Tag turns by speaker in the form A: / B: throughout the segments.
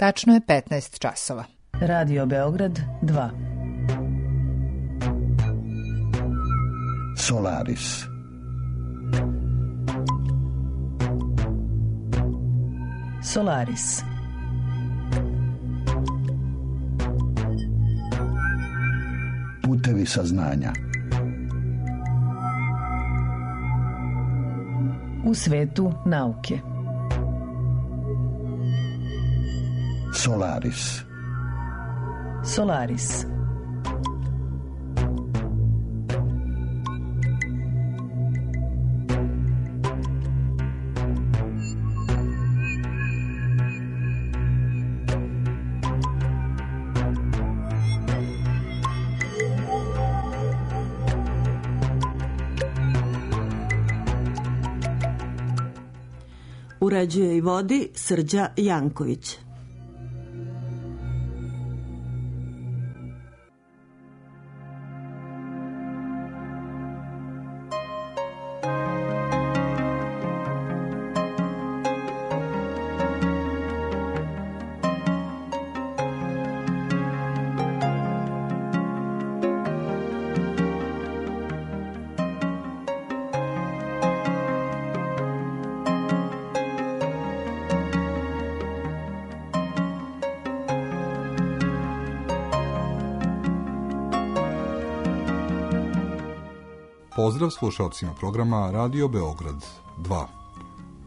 A: Tačno je 15 časova.
B: Radio Beograd 2.
C: Solaris.
B: Solaris.
C: Putevi saznanja.
B: U svetu nauke.
C: Solaris.
B: Solaris.
D: Uređuje i vodi Srđa Janković.
E: Pozdrav slušalcima programa Radio Beograd 2.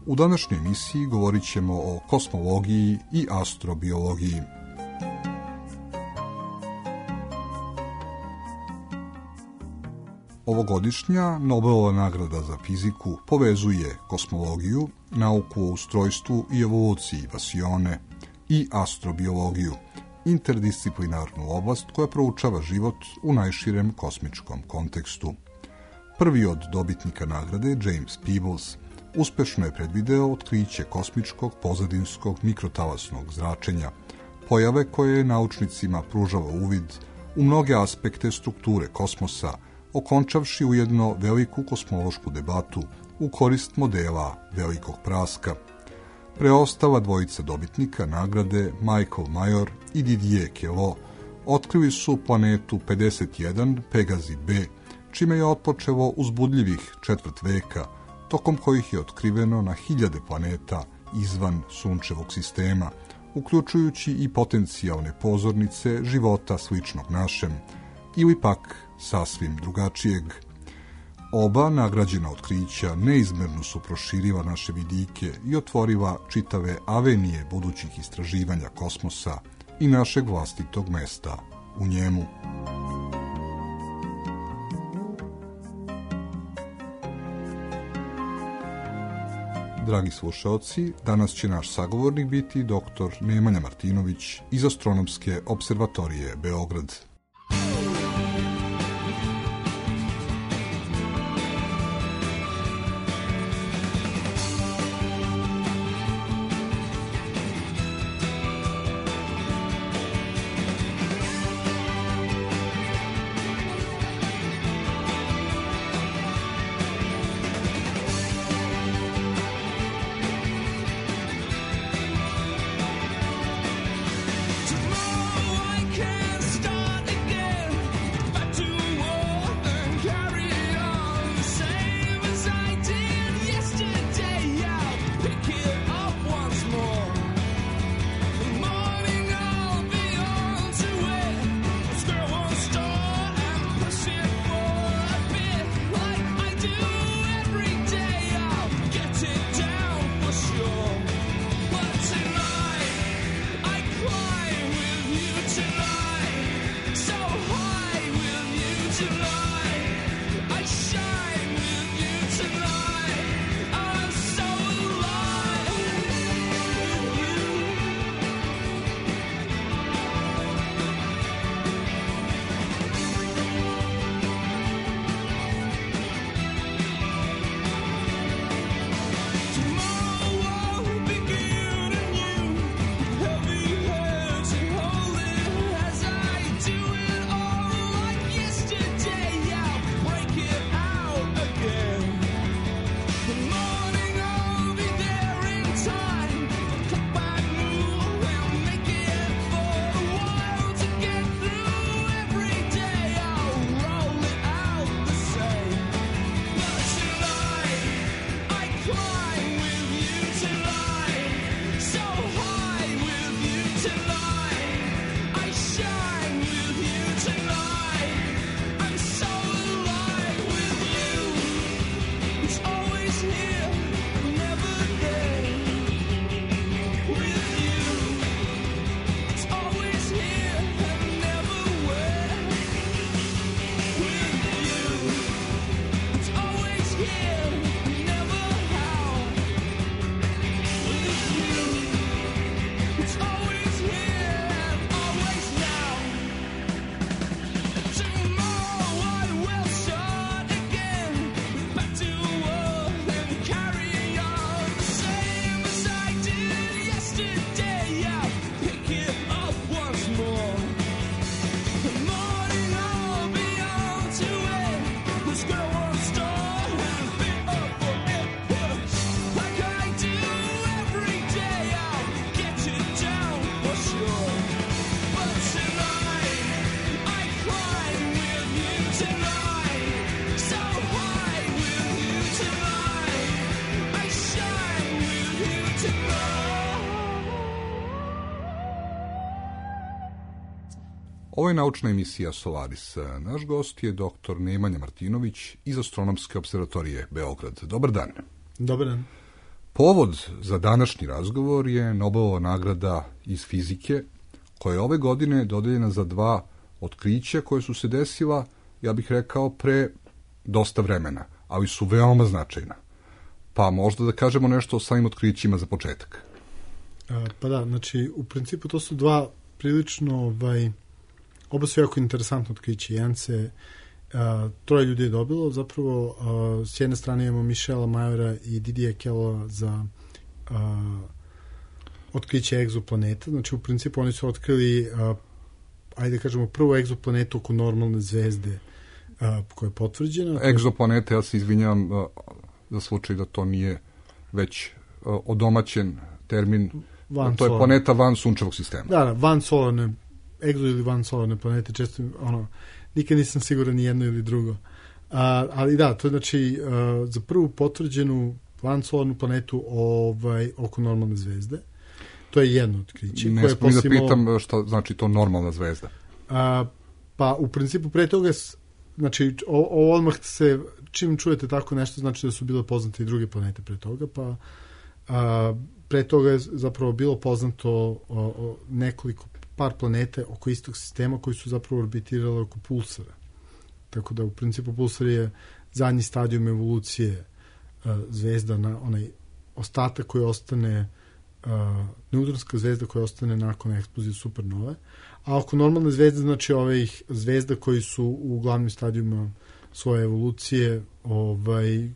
E: U današnjoj emisiji govorit ćemo o kosmologiji i astrobiologiji. Ovogodišnja Nobelova nagrada za fiziku povezuje kosmologiju, nauku o ustrojstvu i evoluciji vasione i astrobiologiju, interdisciplinarnu oblast koja proučava život u najširem kosmičkom kontekstu. Prvi od dobitnika nagrade, James Peebles, uspešno je predvideo otkriće kosmičkog pozadinskog mikrotalasnog zračenja, pojave koje je naučnicima pružala uvid u mnoge aspekte strukture kosmosa, okončavši ujedno veliku kosmološku debatu u korist modela velikog praska. Preostala dvojica dobitnika nagrade, Michael Major i Didier Queloz, otkrili su planetu 51 Pegazi B, čime je otpočelo uzbudljivih četvrt veka, tokom kojih je otkriveno na hiljade planeta izvan sunčevog sistema, uključujući i potencijalne pozornice života sličnog našem, ili pak sasvim drugačijeg. Oba nagrađena otkrića neizmerno su proširila naše vidike i otvorila čitave avenije budućih istraživanja kosmosa i našeg vlastitog mesta u njemu. Dragi slušaoci, danas će naš sagovornik biti dr. Nemanja Martinović iz Astronomske observatorije Beograd.
F: Tomorrow I can't start
E: Ovo je naučna emisija Solaris. Naš gost je dr. Nemanja Martinović iz Astronomske observatorije Beograd. Dobar dan.
F: Dobar dan.
E: Povod za današnji razgovor je Nobelova nagrada iz fizike, koja je ove godine dodeljena za 2 otkrića koje su se desila, ja bih rekao, pre dosta vremena, ali su veoma značajna. Pa možda da kažemo nešto o samim otkrićima za početak.
F: Pa da, znači, u principu to su 2 prilično, oba su jako interesantno otkriće. Jedan se 3 ljudi je dobilo, zapravo s jedne strane imamo Michela Majora i Didier Queloza za otkriće egzoplaneta. Znači, u principu oni su otkrili, ajde kažemo, prvu egzoplanetu oko normalne zvezde koja je potvrđena.
E: Egzoplanete, ja se izvinjam za slučaj da to nije već odomaćen termin. To je planeta van sunčevog sistema.
F: Da, van solarne, egzo ili van solarne planete, često, nikad nisam siguran ni jedno ili drugo. Ali da, to je znači za prvu potvrđenu van solarnu planetu oko normalne zvezde. To je jedno otkriće.
E: Ne smijem da pitam šta znači to normalna zvezda.
F: Pa u principu pre toga, znači odmah se, čim čujete tako nešto, znači da su bile poznate i druge planete pre toga, pa pre toga je zapravo bilo poznato par planete oko istog sistema koji su zapravo orbitirale oko pulsara. Tako da u principu pulsar je zadnji stadijum evolucije zvezda, na onaj ostatak koji ostane, neutronska zvezda koja ostane nakon eksplozije supernove. A oko normalne zvezde, znači ovih zvezda koji su u glavnim stadijuma svoje evolucije,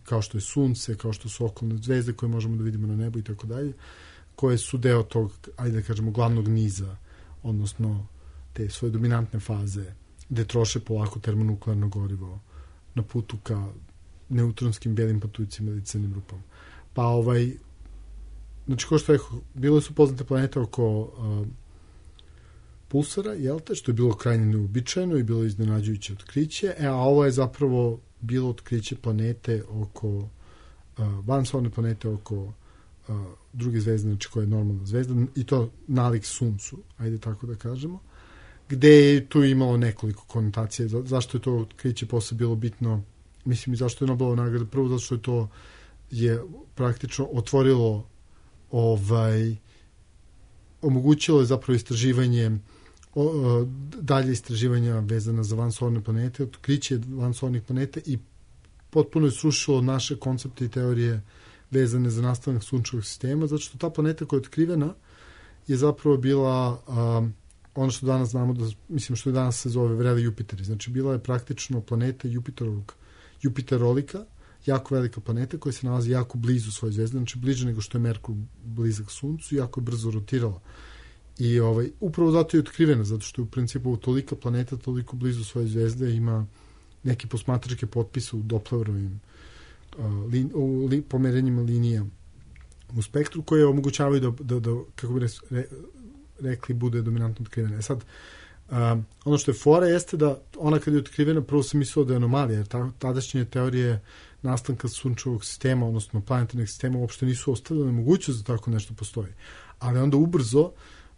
F: kao što je Sunce, kao što su okolne zvezde koje možemo da vidimo na nebu i tako dalje, koje su deo tog, ajde da kažemo, glavnog niza, odnosno te svoje dominantne faze, gde troše polako termonuklearno gorivo na putu ka neutronskim belim patuljcima ili crnim rupama. Pa znači, kao što rekao, bile su poznate planete oko pulsara, što je bilo krajnje neuobičajeno i bilo iznenađujuće otkriće, a ovo je zapravo bilo otkriće planete oko vansolarne planete oko druge zvezde, znači koja je normalna zvezda, i to nalik Suncu, ajde tako da kažemo, gde je tu imalo nekoliko konotacija. Zašto je to otkriće posle bilo bitno? Mislim, i zašto je Nobelova nagrada? Prvo, zato što je to praktično otvorilo omogućilo je zapravo istraživanje, dalje istraživanja vezana za vansolarne planete, otkriće vansolarnih planeta, i potpuno je srušilo naše koncepte i teorije vezane za nastanak sunčevog sistema, zato što ta planeta koja je otkrivena je zapravo bila ono što danas znamo, što danas se zove vreli Jupiteri. Znači, bila je praktično planeta Jupiterolika, jako velika planeta koja se nalazi jako blizu svoje zvezde, znači bliže nego što je Merkur blizak Suncu, jako je brzo rotirala. I upravo zato je otkrivena, zato što je u principu tolika planeta, toliko blizu svoje zvezde, ima neke posmatračke potpise u Dopplerovim pomerenjima linija u spektru, koje omogućavaju da kako bi rekli, bude dominantno otkrivena. Sad, ono što je fora jeste da ona kad je otkrivena, prvo se mislilo da je anomalija, jer tadašnje teorije nastanka sunčevog sistema, odnosno planetarnog sistema, uopšte nisu ostavljene mogućnost da tako nešto postoji. Ali onda ubrzo,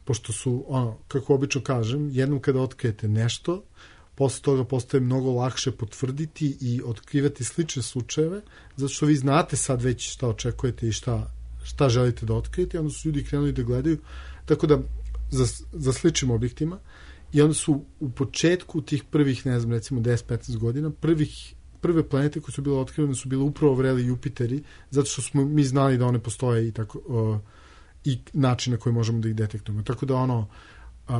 F: pošto su, kako obično kažem, jednom kada otkrijete nešto, posle toga postaje mnogo lakše potvrditi i otkrivati slične slučajeve, zato što vi znate sad već šta očekujete i šta želite da otkrijete, i onda su ljudi krenuli da gledaju, tako da za sličnim objektima, i onda su u početku tih prvih, ne znam, recimo 10-15 godina, prve planete koje su bile otkrivene su bile upravo vreli Jupiteri, zato što smo mi znali da one postoje i tako i način na koji možemo da ih detektujemo. Tako da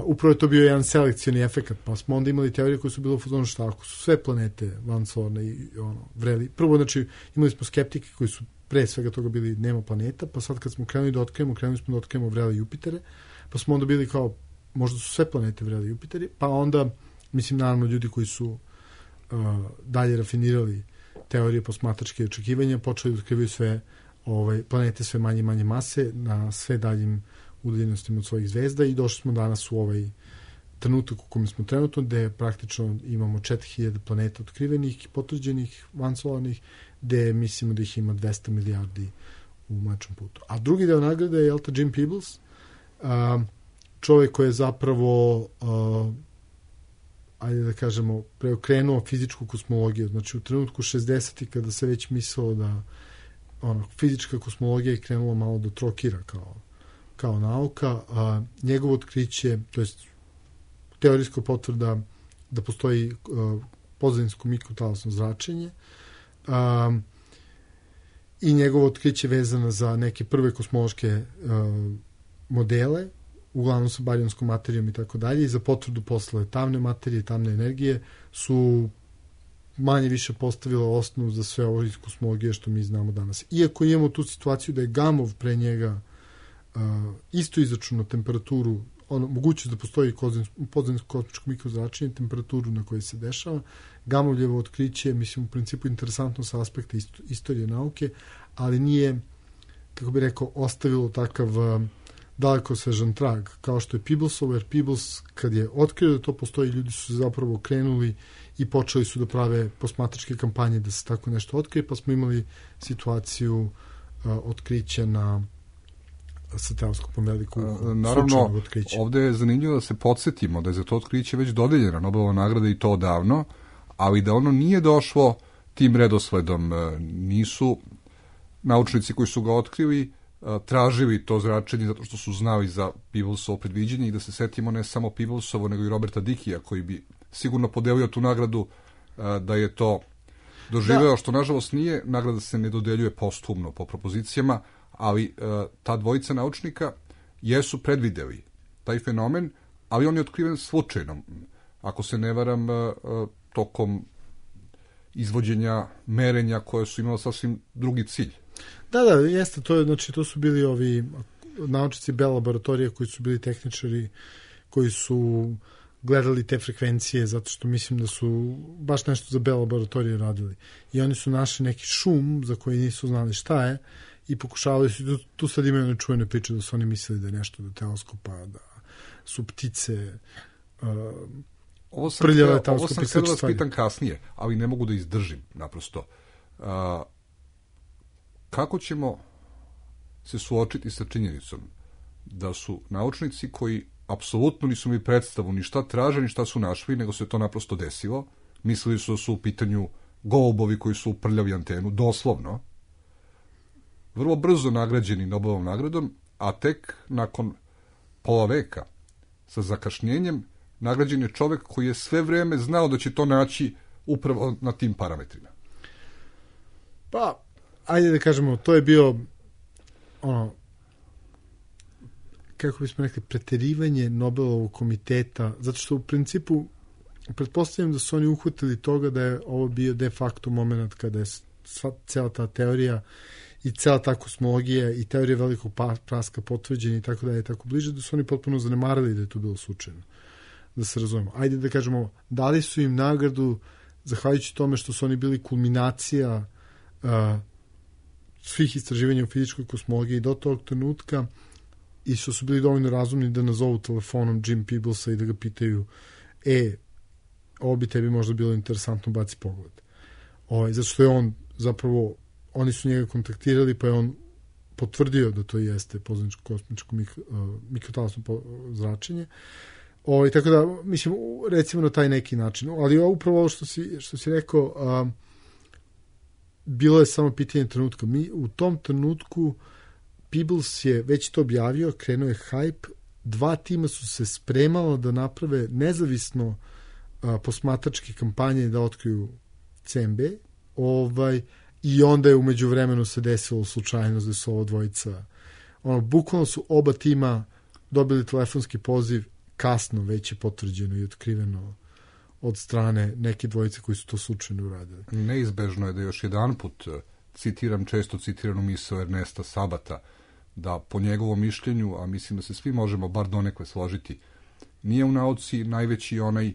F: upravo je to bio jedan selekcioni efekat, pa smo onda imali teorije koje su bile u fazonu šta ako su sve planete vansolarne i vreli. Prvo, znači, imali smo skeptike koji su pre svega toga bili nema planeta, pa sad kad smo krenuli da otkrijemo vreli Jupitere, pa smo onda bili kao, možda su sve planete vreli Jupiteri, pa onda, mislim, naravno, ljudi koji su dalje rafinirali teorije posmatračke očekivanja, počeli da otkrivaju sve planete sve manje i manje mase na sve daljim udaljenostima od svojih zvezda, i došli smo danas u ovaj trenutak u kojem smo trenutno, gde praktično imamo 4000 planeta otkrivenih, potvrđenih, vansolarnih, gde mislimo da ih ima 200 milijardi u Mlečnom putu. A drugi deo nagrade je Jim Peebles, čovjek koji je zapravo ajde da kažemo, preokrenuo fizičku kosmologiju. Znači, u trenutku 60. kada se već mislilo da fizička kosmologija je krenula malo do trokira kao nauka, a njegovo otkriće, to jest teorijska potvrda da postoji pozadinsko mikrotalasno zračenje, i njegovo otkriće vezano za neke prve kosmološke modele, uglavnom sa barijonskom materijom i tako dalje, i za potvrdu posle tamne materije, tamne energije, su manje više postavila osnovu za sve ovo iz kosmologije što mi znamo danas. Iako imamo tu situaciju da je Gamov pre njega isto izračunao temperaturu, mogućnost da postoji pozadinsko kosmičko mikrozračenje, temperaturu na kojoj se dešava. Gamovljevo otkriće, mislim, u principu interesantno sa aspekta istorije nauke, ali nije, kako bih rekao, ostavilo takav dalekosežan trag, kao što je Peeblesovo, jer Peebles, kad je otkrio da to postoji, ljudi su zapravo krenuli i počeli su da prave posmatračke kampanje da se tako nešto otkrije, pa smo imali situaciju otkrića sa teleskopom velikog
E: naravno,
F: otkrića.
E: Ovde je zanimljivo da se podsjetimo da je za to otkriće već dodeljena Nobelova nagrada i to odavno, ali da ono nije došlo tim redosledom. Nisu naučnici koji su ga otkrili tražili to zračenje zato što su znali za Peeblesovo predviđenje, i da se setimo ne samo Peeblesovo, nego i Roberta Dickija, koji bi sigurno podelio tu nagradu da je to doživeo, što nažalost nije. Nagrada se ne dodeljuje posthumno po propozicijama, ali ta dvojica naučnika jesu predvideli taj fenomen, ali on je otkriven slučajno. Ako se ne varam, tokom izvođenja merenja koje su imala sasvim drugi cilj.
F: Da, jeste, to su bili ovi naučnici Bell laboratorije koji su bili tehničari, koji su gledali te frekvencije, zato što mislim da su baš nešto za Bell laboratorije radili. I oni su našli neki šum za koji nisu znali šta je i pokušavali su, tu sad imaju one čuvene priče da su oni mislili da je nešto do teleskopa, da su ptice prljave teleskope.
E: Ovo sam htio da vas pitan kasnije, ali ne mogu da izdržim naprosto. Kako ćemo se suočiti sa činjenicom da su naučnici koji apsolutno nisu mi predstavu ni šta traže, ni šta su našli, nego se to naprosto desilo, mislili su da su u pitanju golubovi koji su uprljali antenu, doslovno, vrlo brzo nagrađeni Nobelovom nagradom, a tek nakon pola veka sa zakašnjenjem nagrađen je čovek koji je sve vreme znao da će to naći upravo na tim parametrima.
F: Pa, ajde da kažemo, to je bio kako bismo rekli, preterivanje Nobelovog komiteta, zato što u principu pretpostavljam da su oni uhvatili toga da je ovo bio de facto moment kada je cela ta teorija i cela ta kosmologija i teorija velikog praska potvrđena i tako dalje, tako bliže, da su oni potpuno zanemarili da je to bilo slučajno. Da se razumemo. Ajde da kažemo, dali su im nagradu zahvaljujući tome što su oni bili kulminacija svih istraživanja u fizičkoj kosmologiji do tog trenutka i što su bili dovoljno razumni da nazovu telefonom Jim Peeblesa i da ga pitaju ovo bi tebi možda bilo interesantno, baci pogled. Zato što je on zapravo, oni su njega kontaktirali, pa je on potvrdio da to jeste pozadinsko kosmičko mikrotalasno zračenje. Tako da, mislim, recimo na taj neki način. Ali upravo ovo što si rekao, bilo je samo pitanje trenutka. Mi u tom trenutku Peebles je već to objavio, krenuo je hype, 2 tima su se spremala da naprave nezavisno posmatračke kampanje da otkriju CMB, i onda je umeđu vremenu se desilo slučajnost da su ovo dvojica, bukvalno su oba tima dobili telefonski poziv, kasno već je potvrđeno i otkriveno od strane neke dvojice koji su to slučajno uradili.
E: Neizbežno je da još jedan put citiram često citiranu misao Ernesta Sabata, da po njegovom mišljenju, a mislim da se svi možemo bar donekle složiti, nije u nauci najveći onaj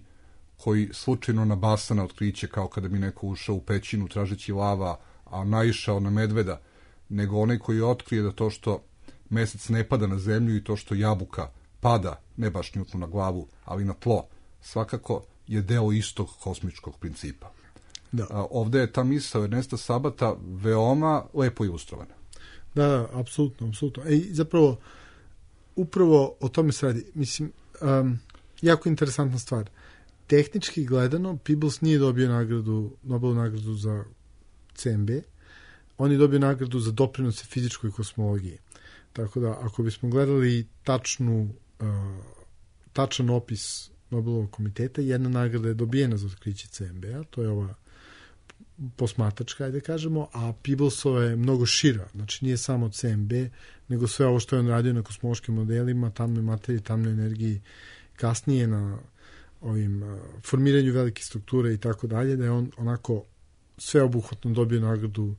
E: koji slučajno nabasa na otkriće, kao kada bi neko ušao u pećinu tražeći lava, a naišao na medveda, nego onaj koji otkrije da to što mesec ne pada na zemlju i to što jabuka pada, ne baš Newtonu na glavu, ali na tlo, svakako je deo istog kosmičkog principa.
F: Da.
E: Ovde je ta misao Ernesta Sabata veoma lepo ilustrovana.
F: Da, apsolutno. Zapravo, upravo o tome se radi. Mislim, jako interesantna stvar. tehnički gledano, Peebles nije dobio Nobelovu nagradu za CMB, on je dobio nagradu za doprinose fizičkoj kosmologiji. Tako da, ako bismo gledali tačan opis Nobelovog komiteta, jedna nagrada je dobijena za otkriće CMB-a, to je ova posmatračka, ajde kažemo, a Peeblesova je mnogo šira, znači nije samo CMB, nego sve ovo što je on radio na kosmološkim modelima, tamnoj materiji, tamnoj energiji, kasnije na ovim formiranju velike strukture i tako dalje, da je on onako sveobuhvatno dobio nagradu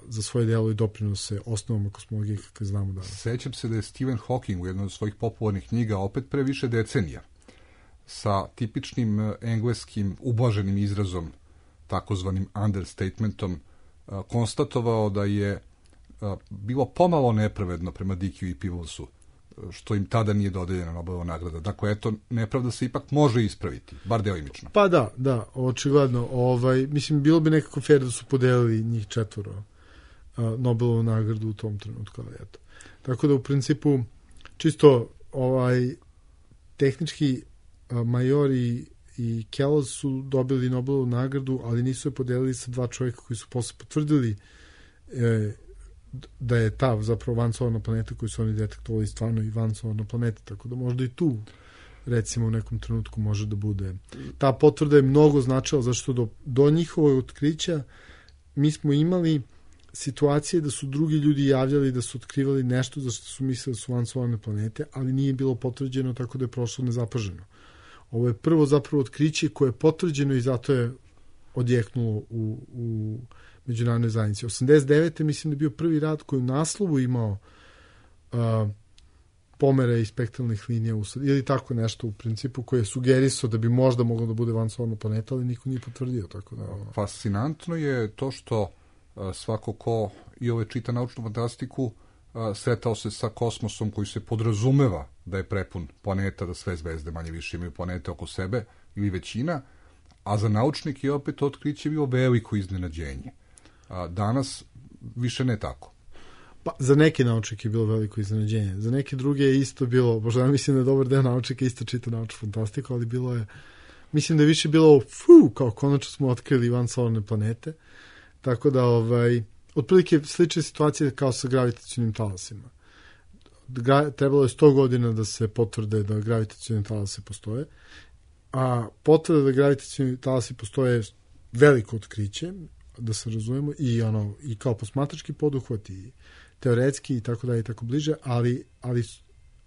F: za svoje delo i doprinose osnovama kosmologije kakve znamo danas.
E: Sećam se da je Stephen Hawking u jednoj od svojih popularnih knjiga opet pre više decenija sa tipičnim engleskim ublaženim izrazom, takozvanim understatementom, konstatovao da je bilo pomalo nepravedno prema Dickiju i Peeblesu, što im tada nije dodeljena Nobelova nagrada. Dakle, eto, nepravda se ipak može ispraviti, bar delimično.
F: Pa da, očigledno. Mislim, bilo bi nekako fair da su podelili njih 4 Nobelovu nagradu u tom trenutku, ali eto. Tako da, u principu, čisto tehnički Major i Kelloz su dobili Nobelovu nagradu, ali nisu je podelili sa 2 čovjeka koji su posle potvrdili da je ta zapravo vansolarna planeta koju su oni detektovali stvarno i vansolarna planeta, tako da možda i tu recimo u nekom trenutku može da bude. Ta potvrda je mnogo značila, zašto do njihovog otkrića mi smo imali situacije da su drugi ljudi javljali da su otkrivali nešto za što su mislili da su vansolarne planete, ali nije bilo potvrđeno, tako da je prošlo nezapaženo. Ovo je prvo zapravo otkriće koje je potvrđeno i zato je odjeknulo u međunarodnoj zajednici. 89. mislim da je bio prvi rad koji u naslovu imao pomere i spektralnih linija ili tako nešto u principu koje je sugerisao da bi možda moglo da bude vansolarna planeta, ali niko nije potvrdio. Tako da,
E: Fascinantno je to što svako ko i ove čita naučnu fantastiku sretao se sa kosmosom koji se podrazumeva da je prepun planeta, da sve zvezde manje više imaju planete oko sebe ili većina, a za naučnike je opet otkriće bilo veliko iznenađenje. Danas više ne tako.
F: Pa, za neke naučnike je bilo veliko iznenađenje. Za neke druge je isto bilo, možda ja mislim da je dobar deo naučnika isto čita naučnu fantastiku, ali bilo je, mislim da je više bilo kao konačno smo otkrili vansolarne planete. Tako da, otprilike slične situacije kao sa gravitacionim talasima. Trebalo je 100 godina da se potvrde da gravitacioni talasi postoje, a potvrda da gravitacioni talasi postoje veliko otkriće, da se razumemo, i kao posmatrački poduhvat i teoretski i tako dalje i tako bliže, ali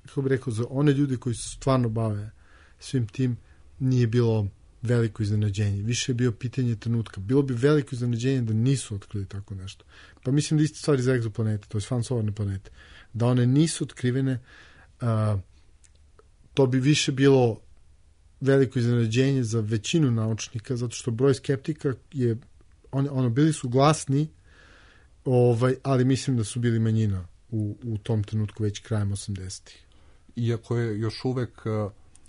F: kako bih rekao, za one ljude koji se stvarno bave svim tim nije bilo veliko iznenađenje. Više je bio pitanje trenutka. Bilo bi veliko iznenađenje da nisu otkrili tako nešto. Pa mislim da isti stvari za egzoplanete, to je vansolarne planete. Da one nisu otkrivene, to bi više bilo veliko iznenađenje za većinu naučnika, zato što broj skeptika je, bili su glasni, ali mislim da su bili manjina u tom trenutku već krajem 80-ih.
E: Iako je još uvek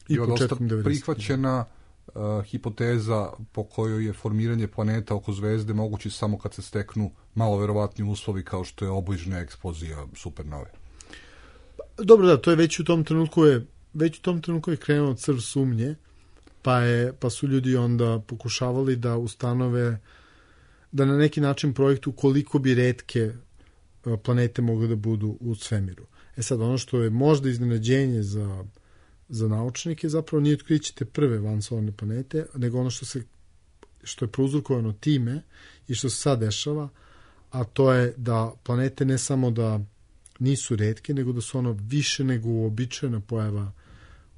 E: dosta prihvaćena hipoteza po kojoj je formiranje planeta oko zvezde moguće samo kad se steknu malo verovatni uslovi kao što je obližnja eksplozija supernove.
F: Dobro, da, to je već u tom trenutku je krenuo crv sumnje, pa su ljudi onda pokušavali da ustanove, da na neki način projektu koliko bi retke planete mogle da budu u svemiru. Sad, ono što je možda iznenađenje za naučnike zapravo nije otkriće te prve vansolarne planete, nego ono što je prouzrokovano time i što se sad dešava, a to je da planete ne samo da nisu retke, nego da su ono više nego uobičajena pojava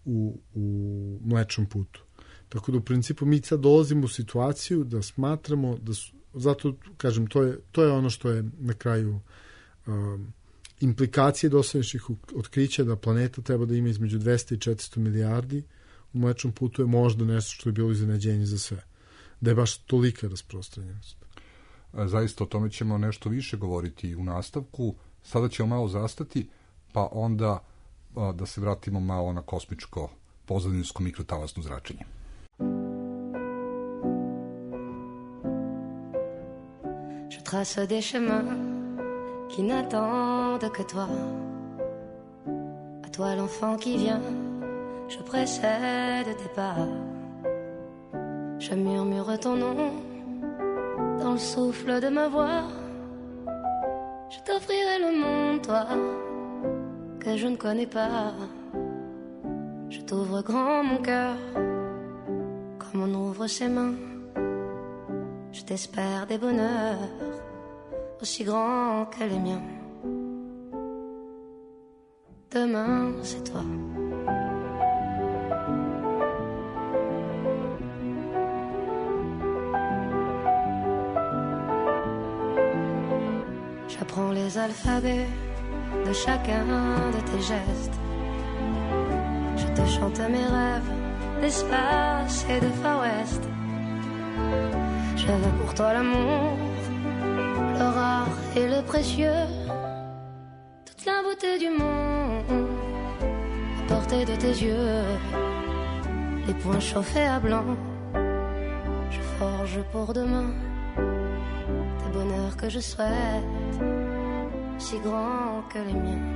F: u Mlečnom putu. Tako da u principu mi sad dolazimo u situaciju da smatramo da su, zato kažem, to je ono što je na kraju implikacije dosadašnjih otkrića da planeta treba da ima između 200 i 400 milijardi u Mlečnom putu je možda nešto što je bilo iznenađenje za sve. Da je baš tolika rasprostranjenost.
E: Zaista o tome ćemo nešto više govoriti u nastavku. Sada ćemo malo zastati, pa onda da se vratimo malo na kosmičko pozadinsko mikrotalasno zračenje.
G: Je trace des chemins qui n'attendent que toi. À toi l'enfant qui vient, je précède tes pas. Je murmure ton nom dans le souffle de ma voix. Je t'offrirai le monde, toi, que je ne connais pas. Je t'ouvre grand mon cœur, comme on ouvre ses mains. Je t'espère des bonheurs aussi grands que les miens. Demain, c'est toi. J'apprends les alphabets de chacun de tes gestes. Je te chante mes rêves d'espace et de Far West. Je veux pour toi l'amour, le rare et le précieux, toute la beauté du monde à portée de tes yeux. Les poings chauffés à blanc, je forge pour demain des bonheurs que je souhaite, si grands que les miens.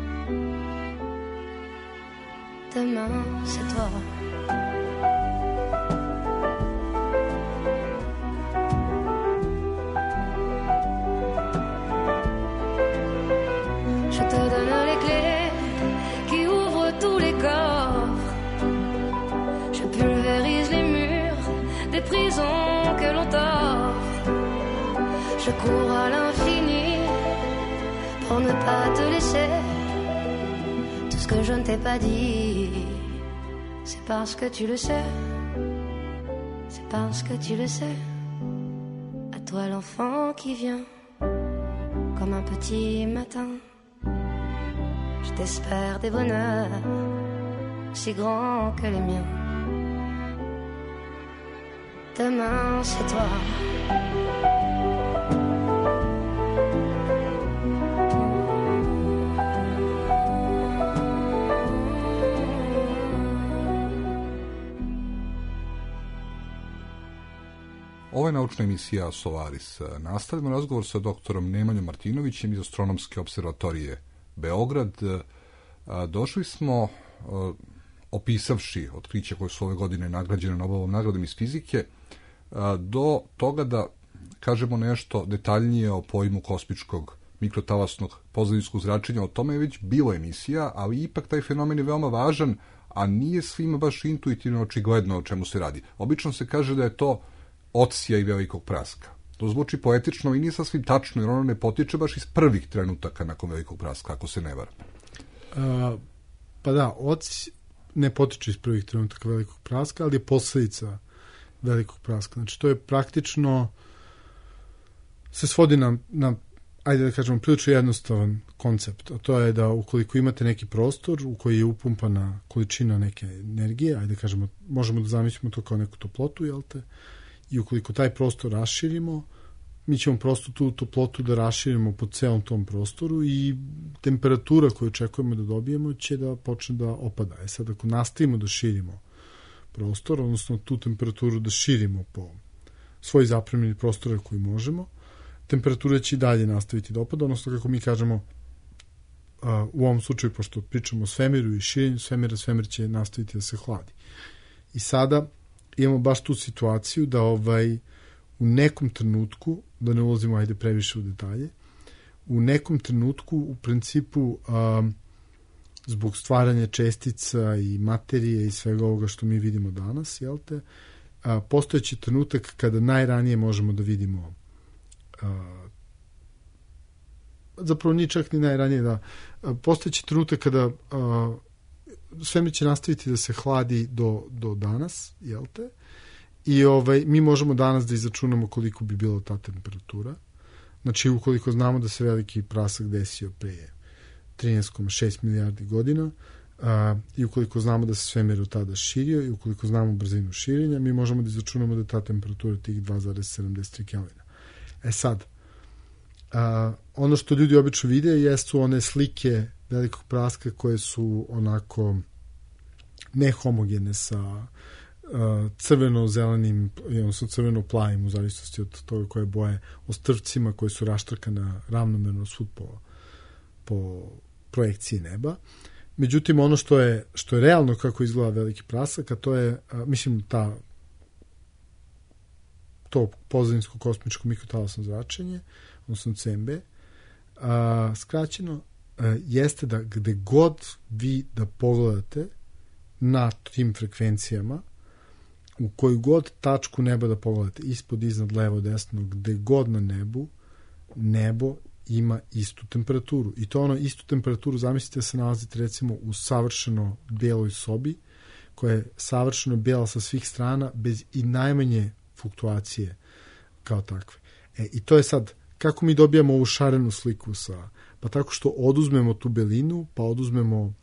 G: Demain, c'est toi. Je te donne les clés qui ouvrent tous les coffres. Je pulvérise les murs des prisons que l'on t'offre. Je cours à l'infini pour ne pas te laisser. Tout ce que je ne t'ai pas dit, c'est parce que tu le sais. C'est parce que tu le sais. À toi l'enfant qui vient comme un petit matin. Je t'espère des bonheurs si grands que les miens. Demain, c'est toi.
E: Ovo je naučna emisija Solaris. Nastavljamo razgovor sa doktorom Nemanjom Martinovićem iz Astronomske observatorije Beograd. Došli smo, opisavši otkriće koje su ove godine nagrađene Nobelovom nagradom iz fizike, do toga da kažemo nešto detaljnije o pojmu kosmičkog mikrotalasnog pozadinskog zračenja. O tome je već bilo emisija, ali ipak taj fenomen je veoma važan, a nije svima baš intuitivno očigledno o čemu se radi. Obično se kaže da je to odsija i velikog praska. To zvuči poetično i nije sasvim tačno, jer ono ne potiče baš iz prvih trenutaka nakon velikog praska, ako se ne varam.
F: Pa da, ne potiče iz prvih trenutaka velikog praska, ali je posledica velikog praska. Znači, to je praktično se svodi na ajde da kažemo, prilično jednostavan koncept. A to je da ukoliko imate neki prostor u koji je upumpana količina neke energije, ajde da kažemo, možemo da zamislimo to kao neku toplotu, jel te? I ukoliko taj prostor raširimo, mi ćemo prosto tu toplotu da raširimo po celom tom prostoru i temperatura koju očekujemo da dobijemo će da počne da opada. Sad, ako nastavimo da širimo prostor, odnosno tu temperaturu da širimo po svoj zapremljeni prostora koji možemo, temperatura će i dalje nastaviti da opada, odnosno kako mi kažemo u ovom slučaju, pošto pričamo o svemiru i širenju svemira, svemir će nastaviti da se hladi. I sada imamo baš tu situaciju da u nekom trenutku, da ne ulazimo ajde previše u detalje, u nekom trenutku u principu zbog stvaranja čestica i materije i svega ovoga što mi vidimo danas, jel te, postojeći trenutak kada najranije možemo da vidimo zapravo nije čak ni najranije da postojeći trenutak kada svemir će nastaviti da se hladi do danas, jel te? I mi možemo danas da izračunamo koliko bi bila ta temperatura. Znači, ukoliko znamo da se veliki prasak desio pre 13,6 milijardi godina i ukoliko znamo da se svemir od tada širio i ukoliko znamo brzinu širenja, mi možemo da izračunamo da je ta temperatura tih 2,73 Kelvina. Sad, ono što ljudi obično vide jesu one slike velikog praska koje su onako nehomogene sa crveno-zelenim, odnosno crveno-plavim, u zavisnosti od toga koje boje, ostrvcima koje su raštrkane ravnomerno svud po projekciji neba. Međutim, ono što je realno kako izgleda veliki prasak, a to je, mislim, ta to pozadinsko kosmičko mikrotalasno zračenje, odnosno CMB, skraćeno, jeste da gde god vi da pogledate na tim frekvencijama, u koju god tačku neba da pogledate, ispod, iznad, levo, desno, gde god na nebu, nebo ima istu temperaturu. I to ono istu temperaturu, zamislite, se nalazite recimo u savršeno beloj sobi, koja je savršeno bela sa svih strana, bez i najmanje fluktuacije kao takve. I to je sad, kako mi dobijamo ovu šarenu sliku pa tako što oduzmemo tu belinu, pa oduzmemo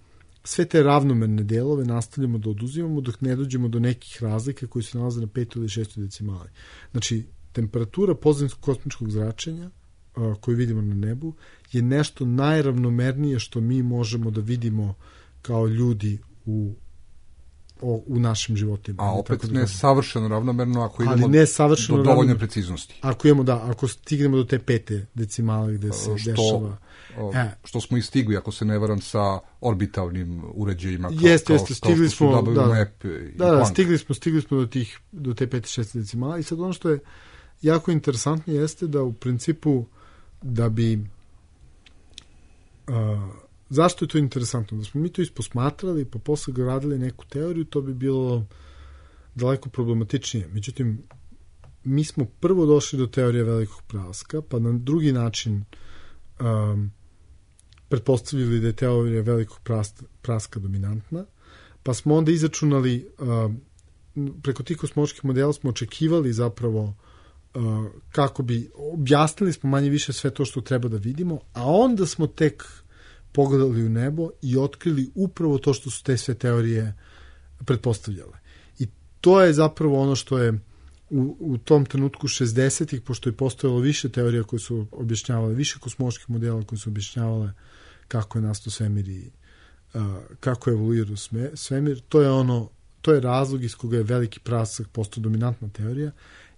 F: sve te ravnomerne delove, nastavljamo da oduzimamo dok ne dođemo do nekih razlika koji se nalaze na 5. ili 6. decimali. Znači, temperatura pozadinskog kosmičkog zračenja koju vidimo na nebu je nešto najravnomernije što mi možemo da vidimo kao ljudi u našim životima.
E: A opet ne savršeno ravnomerno ako idemo do dovoljne preciznosti.
F: Ako stignemo do te 5. decimale gde se dešava.
E: Što smo i stigli, ako se ne varam, sa orbitalnim uređajima
F: stigli smo stigli smo do te 5. 6. decimala i sad ono što je jako interesantno jeste da u principu da bi zašto je to interesantno? Da smo mi to isposmatrali pa posle gradili neku teoriju, to bi bilo daleko problematičnije. Međutim, mi smo prvo došli do teorije velikog praska, pa na drugi način pretpostavili da je teorija velikog praska dominantna, pa smo onda izračunali preko tih kosmoloških modela smo očekivali zapravo kako bi objasnili smo manje više sve to što treba da vidimo, a onda smo tek pogledali u nebo i otkrili upravo to što su te sve teorije pretpostavljale. I to je zapravo ono što je u tom trenutku 60-ih, pošto je postojalo više teorija koje su objašnjavale, više kosmoloških modela koje su objašnjavale kako je nastao svemir i kako je evoluirao svemir, to je razlog iz koga je veliki prasak postao dominantna teorija,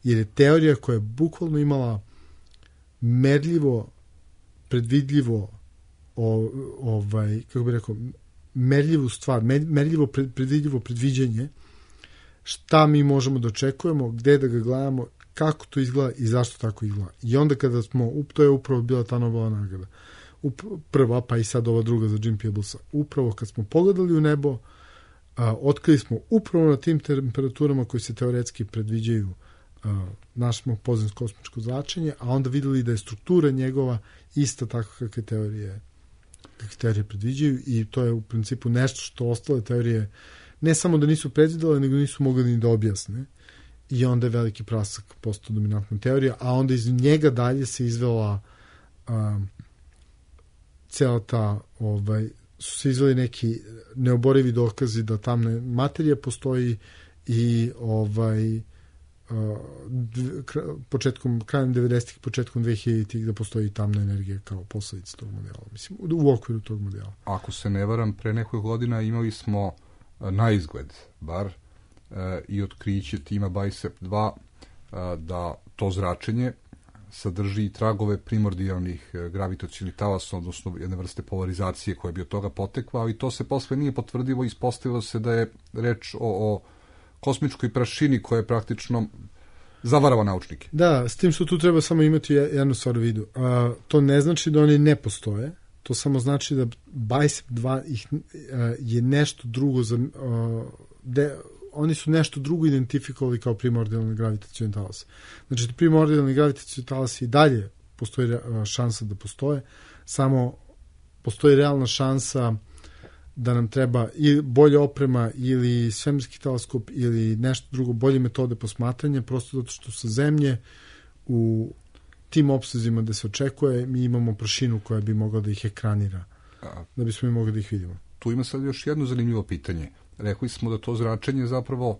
F: jer je teorija koja je bukvalno imala merljivo, predvidljivo kako bih rekao, merljivu stvar, merljivo predvidljivo predviđanje šta mi možemo da očekujemo, gde da ga gledamo, kako to izgleda i zašto tako izgleda. I onda kada to je upravo bila ta Nobelova nagrada. Prva, pa i sad ova druga za Jim Peeblesa. Upravo kad smo pogledali u nebo, otkrili smo upravo na tim temperaturama koji se teoretski predviđaju našmo pozadinsko kosmičko zračenje, a onda videli da je struktura njegova ista tako kakve teorije predviđaju i to je u principu nešto što ostale teorije ne samo da nisu predvidele, nego nisu mogli ni da objasne i onda je veliki prasak postao dominantna teorija, a onda iz njega dalje se izvela cela ta su se izveli neki neoborivi dokazi da tamna materija postoji i krajem 90-ih, početkom 2000-ih da postoji tamna energija kao posledica tog modela. Mislim, u okviru tog modela.
E: Ako se ne varam, pre nekoj godina imali smo na izgled, bar, i otkriće tima BICEP-2 da to zračenje sadrži tragove primordijalnih gravitacionih talasa, odnosno jedne vrste polarizacije koja bi od toga potekla, ali to se posle nije potvrdilo i ispostavilo se da je reč o kosmičkoj prašini koja je praktično zavarava naučnike.
F: Da, s tim što tu treba samo imati jednu stvar u vidu. To ne znači da oni ne postoje, to samo znači da BICEP-2 je nešto drugo oni su nešto drugo identifikovali kao primordijalni gravitacioni talas. Znači, primordijalni gravitacioni talas i dalje postoji šansa da postoje, samo postoji realna šansa da nam treba i bolja oprema ili svemirski teleskop ili nešto drugo, bolje metode posmatranja, prosto zato što sa Zemlje u tim opsezima da se očekuje, mi imamo prašinu koja bi mogla da ih ekranira, da bismo mi mogli da ih vidimo.
E: Tu ima sad još jedno zanimljivo pitanje. Rekli smo da to zračenje zapravo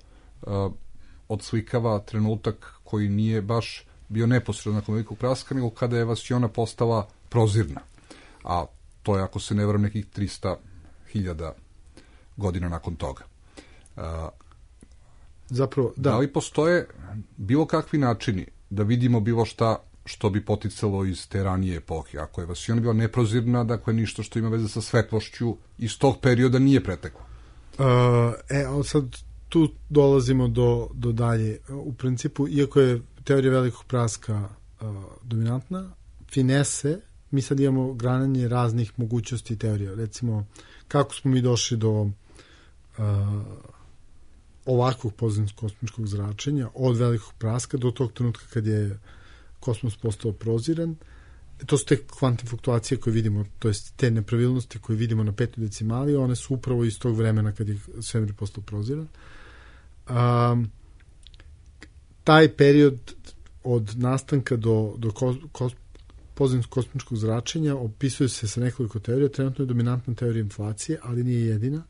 E: odslikava trenutak koji nije baš bio neposredno nakon velikog praska, nego kada je vasiona postala prozirna. A to je, ako se ne varam, nekih 300.000 godina nakon toga.
F: Zapravo, da.
E: Da li postoje bilo kakvi načini da vidimo bilo šta što bi poticalo iz te ranije epohe? Ako je vasiona bila neprozirna, dakle ništa što ima veze sa svetlošću iz tog perioda nije preteklo.
F: Sad tu dolazimo do dalje. U principu, iako je teorija velikog praska dominantna, finese, mi sad imamo grananje raznih mogućnosti teorija. Recimo, kako smo mi došli do ovakvog pozemskog kosmičkog zračenja, od velikog praska do tog trenutka kad je kosmos postao proziran. To su te kvantne fluktuacije koje vidimo, to jest te nepravilnosti koje vidimo na 5. decimali, one su upravo iz tog vremena kad je svemir postao proziran. Taj period od nastanka do pozemskog kosmičkog zračenja opisuje se sa nekoliko teorija. Trenutno je dominantna teorija inflacije, ali nije jedina.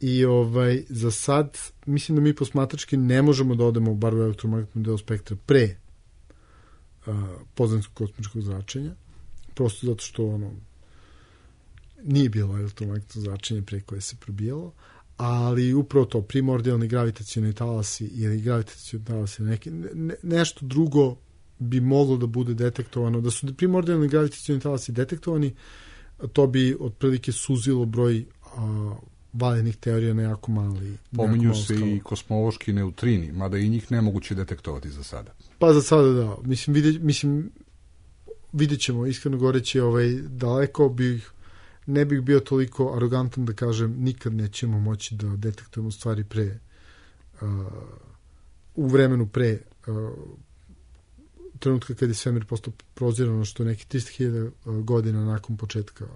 F: I za sad mislim da mi posmatrački ne možemo da odemo bar u elektromagnetnom delu spektra pre pozemskog kosmičkog zračenja, prosto zato što nije bilo elektromagnetno zračenje pre koje se probijalo, ali upravo to, primordijalni gravitacioni talasi ili gravitacioni talasi nešto drugo bi moglo da bude detektovano. Da su primordijalni gravitacioni talasi detektovani, to bi otprilike suzilo broj valjenih teorija na jako mali.
E: Pominju se i kosmološki neutrini, mada i njih nemoguće detektovati za sada.
F: Pa za sada da. Mislim vidjet ćemo, iskreno goreći, daleko ne bih bio toliko arogantan da kažem nikad nećemo moći da detektujemo stvari u vremenu pre trenutka kad je svemir postao prozirano, što je neki 300.000 godina nakon početka,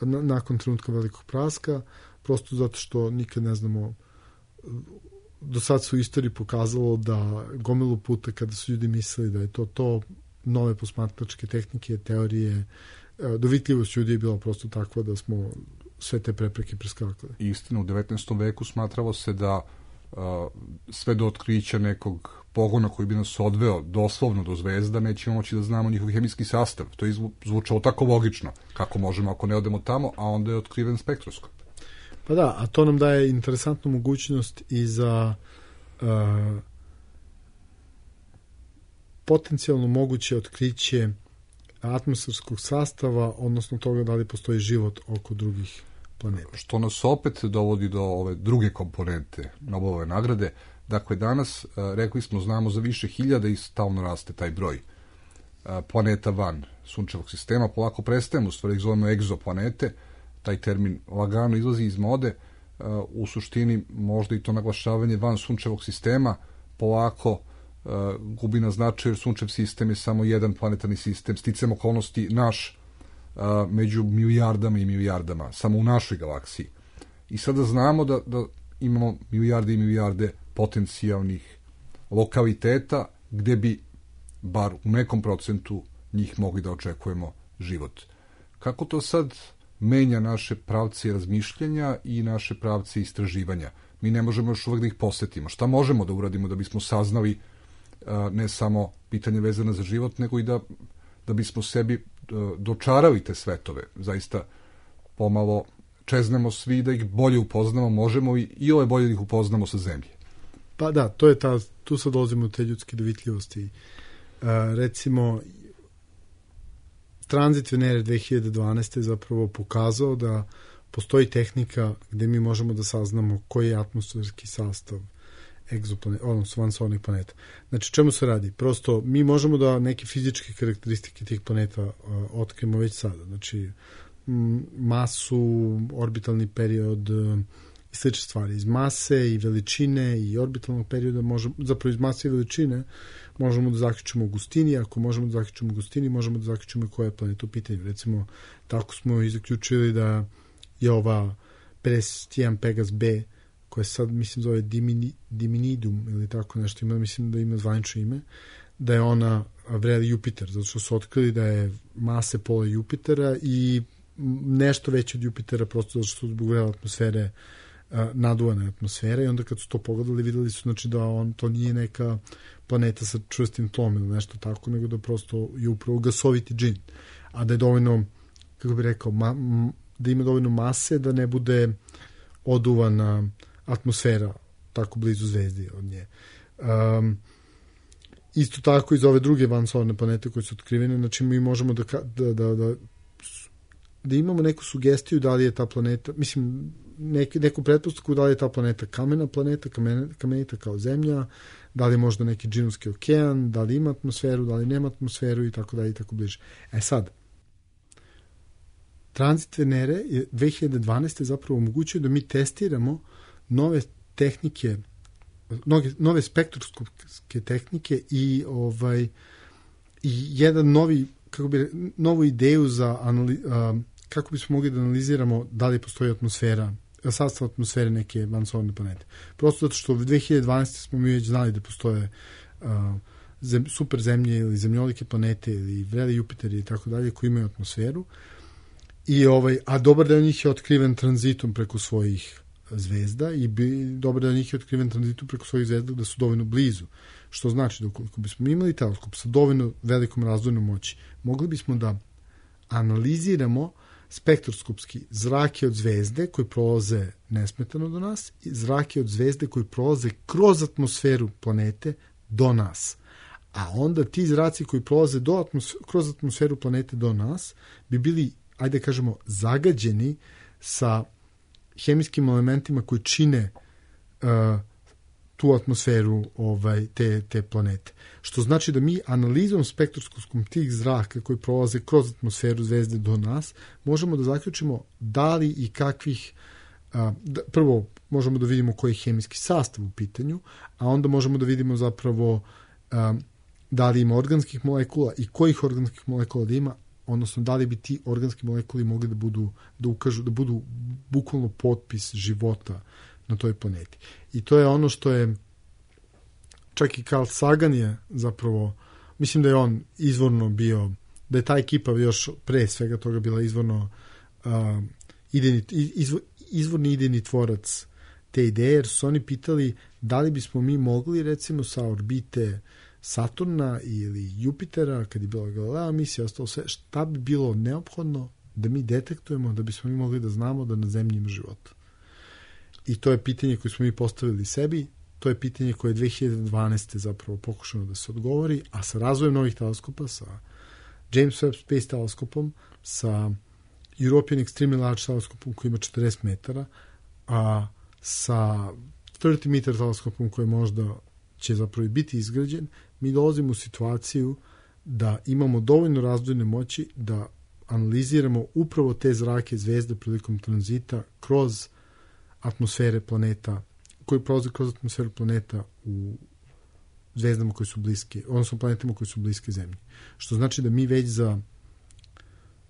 F: nakon trenutka velikog praska, prosto zato što nikad ne znamo. Do sad su u istoriji pokazalo da gomilu puta kada su ljudi mislili da je to nove posmatračke tehnike, teorije, dovitljivost ljudi je bila prosto takva da smo sve te prepreke preskakali.
E: Istina, u 19. veku smatralo se da sve do otkrića nekog pogona koji bi nas odveo doslovno do zvezda, nećemo moći da znamo njihov hemijski sastav. To je zvučalo tako logično. Kako možemo ako ne odemo tamo, a onda je otkriven spektroskop.
F: Pa da, a to nam daje interesantnu mogućnost i za potencijalno moguće otkriće atmosferskog sastava, odnosno toga da li postoji život oko drugih planeta.
E: Što nas opet dovodi do ove druge komponente Nobelove nagrade. Dakle, danas, rekli smo, znamo za više hiljada i stalno raste taj broj planeta van sunčevog sistema. Polako prestajemo, u stvari ih zovemo egzoplanete. Taj termin lagano izlazi iz mode. U suštini možda i to naglašavanje van sunčevog sistema polako gubi na značaju, jer sunčev sistem je samo jedan planetarni sistem, sticam okolnosti naš među milijardama i milijardama, samo u našoj galaksiji. I sada znamo da imamo milijarde i milijarde potencijalnih lokaliteta gde bi, bar u nekom procentu, njih mogli da očekujemo život. Kako to sad menja naše pravce razmišljanja i naše pravce istraživanja? Mi ne možemo još uvek da ih posetimo. Šta možemo da uradimo da bismo saznali ne samo pitanje vezane za život, nego i da bismo sebi dočarali te svetove? Zaista pomalo čeznemo svi da ih bolje upoznamo, možemo i ove bolje da ih upoznamo sa zemlje.
F: Pa da, tu sad dolazimo u te ljudske dovitljivosti. Recimo, tranzit Venere 2012. je zapravo pokazao da postoji tehnika gde mi možemo da saznamo koji je atmosferski sastav odnosno vansolnih planeta. Znači, čemu se radi? Prosto, mi možemo da neke fizičke karakteristike tih planeta otkrijemo već sada. Znači, masu, orbitalni period i slične stvari. Iz mase i veličine i orbitalnog perioda zapravo iz mase i veličine možemo da zaključimo gustini. Ako možemo da zaključimo gustini, možemo da zaključimo koja je planeta u pitanju. Recimo, tako smo i zaključili da je ova 51 Pegas B, koja sad, mislim, zove Diminidum ili tako nešto, mislim da ima zvanično ime, da je ona vreli Jupiter, zato što su otkrili da je mase pola Jupitera i nešto veće od Jupitera, prosto zato što zbog vrele atmosfere, naduvane atmosfere, i onda kad su to pogledali, videli su, znači, da to nije neka planeta sa čvrstim tlom ili nešto tako, nego da prosto je upravo gasoviti džin, a da je dovoljno, kako bih rekao, da ima dovoljno mase da ne bude oduvana atmosfera tako blizu zvezdi od nje. Isto tako iz ove druge vansolarne planete koje su otkrivene, znači mi možemo da imamo neku sugestiju da li je ta planeta, mislim, neku pretpostavku da li je ta planeta kamena planeta, kamenita kao zemlja, da li je možda neki džinovski okean, da li ima atmosferu, da li nema atmosferu i tako dalje i tako bliže. Sad, tranzit Venere je 2012. zapravo omogućio da mi testiramo nove tehnike, nove spektroskopske tehnike i jedan novu ideju za kako bismo mogli da analiziramo da li postoji atmosfera, sastav atmosfere neke vansolarne planete. Prosto zato što u 2012. smo mi već znali da postoje super zemlje ili zemljolike planete ili vreli Jupiteri i tako dalje koji imaju atmosferu. A dobar deo njih je otkriven tranzitom preko svojih zvezda i dobar deo njih je otkriven tranzitom preko svojih zvezda da su dovoljno blizu. Što znači da ukoliko bismo imali teleskop sa dovoljno velikom razdvojnom moći, mogli bismo da analiziramo spektroskopski zrake od zvezde koji prolaze nesmetano do nas i zrake od zvezde koji prolaze kroz atmosferu planete do nas. A onda ti zraci koji prolaze kroz atmosferu planete do nas bi bili, ajde kažemo, zagađeni sa hemijskim elementima koji čine tu atmosferu te planete. Što znači da mi analizom spektroskopskom tih zraka koji prolaze kroz atmosferu zvezde do nas, možemo da zaključimo da li i kakvih, prvo možemo da vidimo koji je hemijski sastav u pitanju, a onda možemo da vidimo zapravo da li ima organskih molekula i kojih organskih molekula da ima, odnosno da li bi ti organski molekuli mogli da budu bukvalno potpis života na toj planeti. I to je ono što je čak i Carl Sagan je zapravo, mislim da je on izvorno bio, da je ta ekipa još pre svega toga bila izvorno izvorni idejni tvorac te ideje, jer su oni pitali da li bismo mi mogli recimo sa orbite Saturna ili Jupitera, kad je bila Galileo misija, ostalo sve, šta bi bilo neophodno da mi detektujemo da bismo mi mogli da znamo da na Zemlji ima života. I to je pitanje koje smo mi postavili sebi, to je pitanje koje je 2012. zapravo pokušano da se odgovori, a sa razvojem novih teleskopa, sa James Webb Space teleskopom, sa European Extremely Large teleskopom koji ima 40 metara, a sa 30 meter teleskopom koji možda će zapravo biti izgrađen, mi dolazimo u situaciju da imamo dovoljno razdvojne moći da analiziramo upravo te zrake zvezde prilikom tranzita kroz atmosfere planeta, koji prolaze kroz atmosferu planeta u zvezdama koje su bliske, odnosno planetama koje su bliske Zemlji. Što znači da mi već za,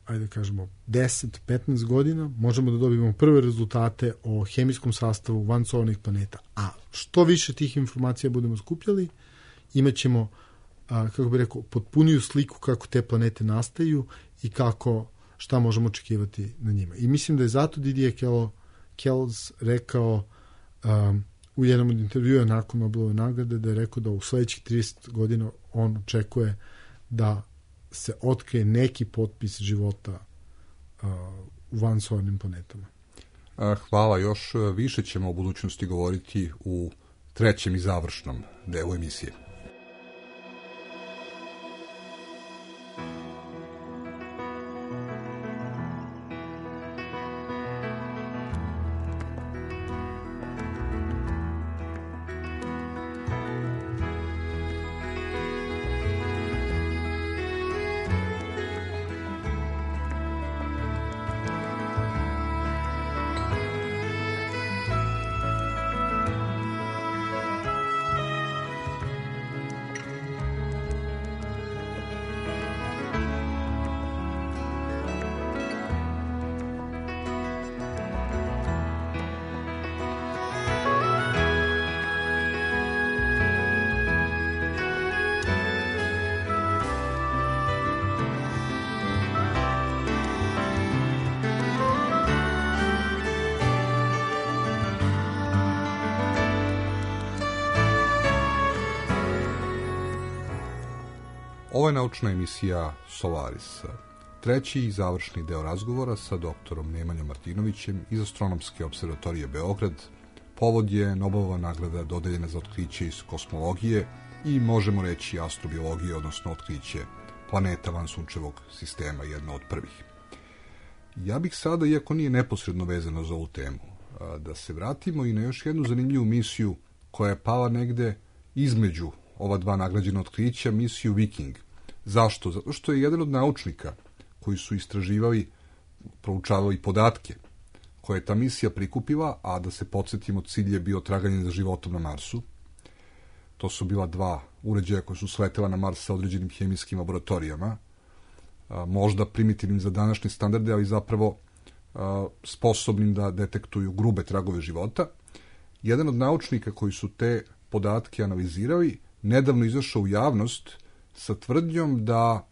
F: ajde kažemo, 10-15 godina možemo da dobijemo prve rezultate o hemijskom sastavu vansolarnih planeta. A što više tih informacija budemo skupljali, imat ćemo, kako bih rekao, potpuniju sliku kako te planete nastaju i šta možemo očekivati na njima. I mislim da je zato Didier Queloz rekao u jednom od intervjua nakon Nobelove nagrade, da je rekao da u sledećih 30 godina on očekuje da se otkrije neki potpis života u vansolarnim planetama.
E: Hvala. Još više ćemo o budućnosti govoriti u trećem i završnom delu emisije. Ovo je naučna emisija Solaris. Treći i završni deo razgovora sa doktorom Nemanjom Martinovićem iz Astronomske observatorije Beograd. Povod je Nobelova nagrada dodeljena za otkriće iz kosmologije i možemo reći astrobiologije, odnosno otkriće planeta van sunčevog sistema, jedna od prvih. Ja bih sada, iako nije neposredno vezano za ovu temu, da se vratimo i na još jednu zanimljivu misiju koja je pala negde između ova dva nagrađena otkrića, misiju Viking. Zašto? Zato što je jedan od naučnika koji su istraživali, proučavali podatke koje je ta misija prikupila, a da se podsjetimo, cilj je bio traganje za životom na Marsu. To su bila dva uređaja koja su sletela na Mars sa određenim hemijskim laboratorijama, možda primitivnim za današnje standarde, ali zapravo sposobnim da detektuju grube tragove života. Jedan od naučnika koji su te podatke analizirali nedavno izašao u javnost sa tvrdnjom da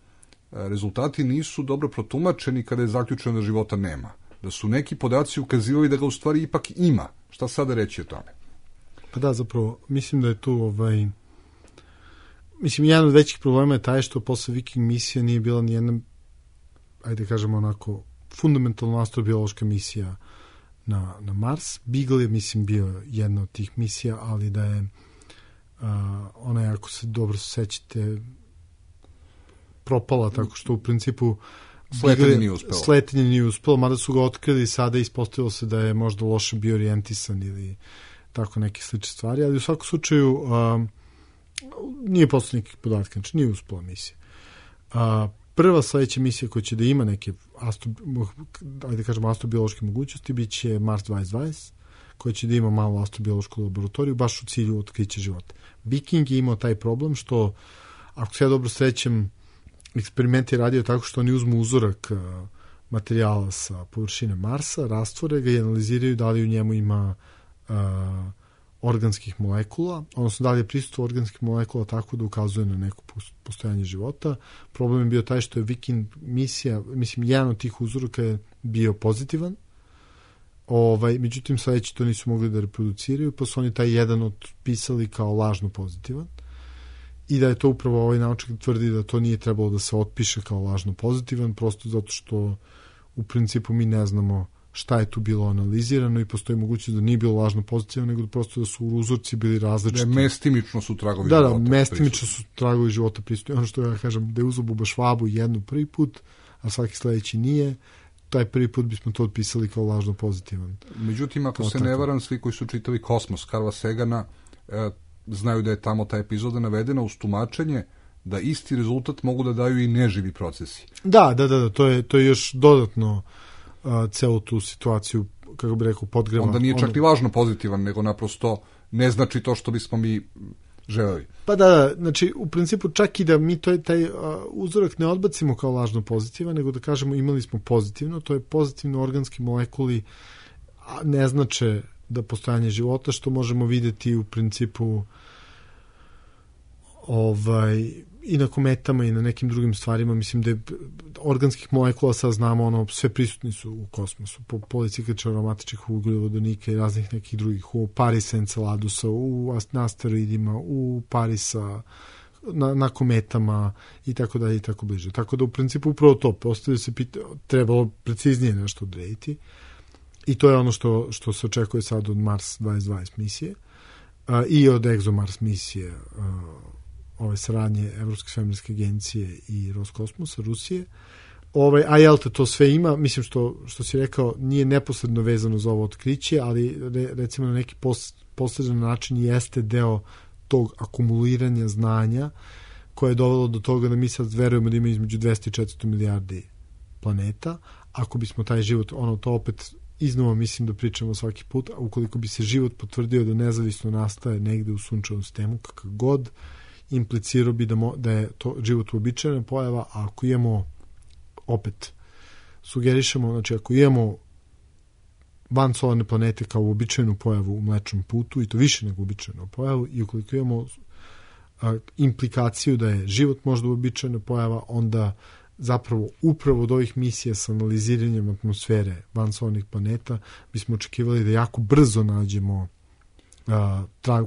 E: rezultati nisu dobro protumačeni kada je zaključeno da života nema. Da su neki podaci ukazivali da ga u stvari ipak ima. Šta sada reći o tome?
F: Pa da, zapravo, mislim da je tu mislim, jedan od većih problema je taj što posle Viking misija nije bila ni jedna, ajde kažemo onako, fundamentalno astrobiološka misija na Mars. Beagle je, mislim, bio jedna od tih misija, ali da je ona je, ako se dobro sećate, propala, tako što u principu Sletenje nije uspelo, mada su ga otkrili sada i ispostavilo se da je možda loše bio orijentisan ili tako neke slične stvari, ali u svakom slučaju nije posle nekih podatka, znači nije uspela misija. Prva sledeća misija koja će da ima neke astrobiološke mogućnosti bit će Mars 2020, koja će da ima malo astrobiološku laboratoriju, baš u cilju otkrića života. Viking je imao taj problem što, ako se ja dobro srećem, eksperiment je radio tako što oni uzmu uzorak materijala sa površine Marsa, rastvore ga i analiziraju da li u njemu ima organskih molekula, odnosno da li je prisustvo organskih molekula tako da ukazuje na neko postojanje života. Problem je bio taj što je Viking misija, mislim, jedan od tih uzoraka je bio pozitivan, međutim sledeći to nisu mogli da reproduciraju, pa su oni taj jedan otpisali kao lažno pozitivan. I da je to upravo ovaj naučnik tvrdi da to nije trebalo da se otpiše kao lažno pozitivan, prosto zato što u principu mi ne znamo šta je tu bilo analizirano i postoji mogućnost da nije bilo lažno pozitivan, nego da prosto da su uzorci bili različiti. Da,
E: mestimično su tragovi života.
F: Da, mestimično su tragovi života prisutni. Ono što ja kažem, da je uzeo buba švabu jednu prvi put, a svaki sledeći nije, taj prvi put bismo to otpisali kao lažno pozitivan.
E: Međutim, ako se ne varam, svi koji su čitali Kosmos Carla Sagana znaju da je tamo ta epizoda navedena uz tumačenje da isti rezultat mogu da daju i neživi procesi.
F: Da, to je još dodatno celu tu situaciju, kako bih rekao, podgreva.
E: Onda nije čak ni lažno pozitivan, nego naprosto ne znači to što bismo mi želeli.
F: Pa da, znači u principu čak i da mi taj uzorak ne odbacimo kao lažno pozitivan, nego da kažemo imali smo pozitivno, to je pozitivno organski molekuli ne znače da postojanje života, što možemo videti u principu i na kometama i na nekim drugim stvarima. Mislim da je organskih molekula sad znamo, sve prisutni su u kosmosu, policikliča aromatičnih ugljovodonika i raznih nekih drugih, u Parisa Enceladusa, na asteroidima, u Parisa, na kometama i tako dalje i tako bliže. Tako da u principu upravo to postavlja se trebalo preciznije nešto odrediti. I to je ono što se očekuje sad od Mars 2020 misije i od ExoMars misije ove saradnje Evropske svemirske agencije i Roskosmosa, Rusije. A Jelta to sve ima, mislim što si rekao, nije neposredno vezano za ovo otkriće, ali recimo na neki posredan način jeste deo tog akumuliranja znanja koje je dovelo do toga da mi sad verujemo da ima između 200 i 400 milijardi planeta. Ako bismo taj život, to opet iznova mislim da pričamo svaki put, a ukoliko bi se život potvrdio da nezavisno nastaje negde u sunčevom sistemu, kakav god, implicirao bi da je to život uobičajena pojava, a ako imamo, opet sugerišemo, znači ako imamo van solarne planete kao uobičajenu pojavu u Mlečnom putu, i to više nego uobičajenu pojavu, i ukoliko imamo implikaciju da je život možda uobičajena pojava, onda zapravo upravo od ovih misija sa analiziranjem atmosfere van solarnih planeta bismo očekivali da jako brzo nađemo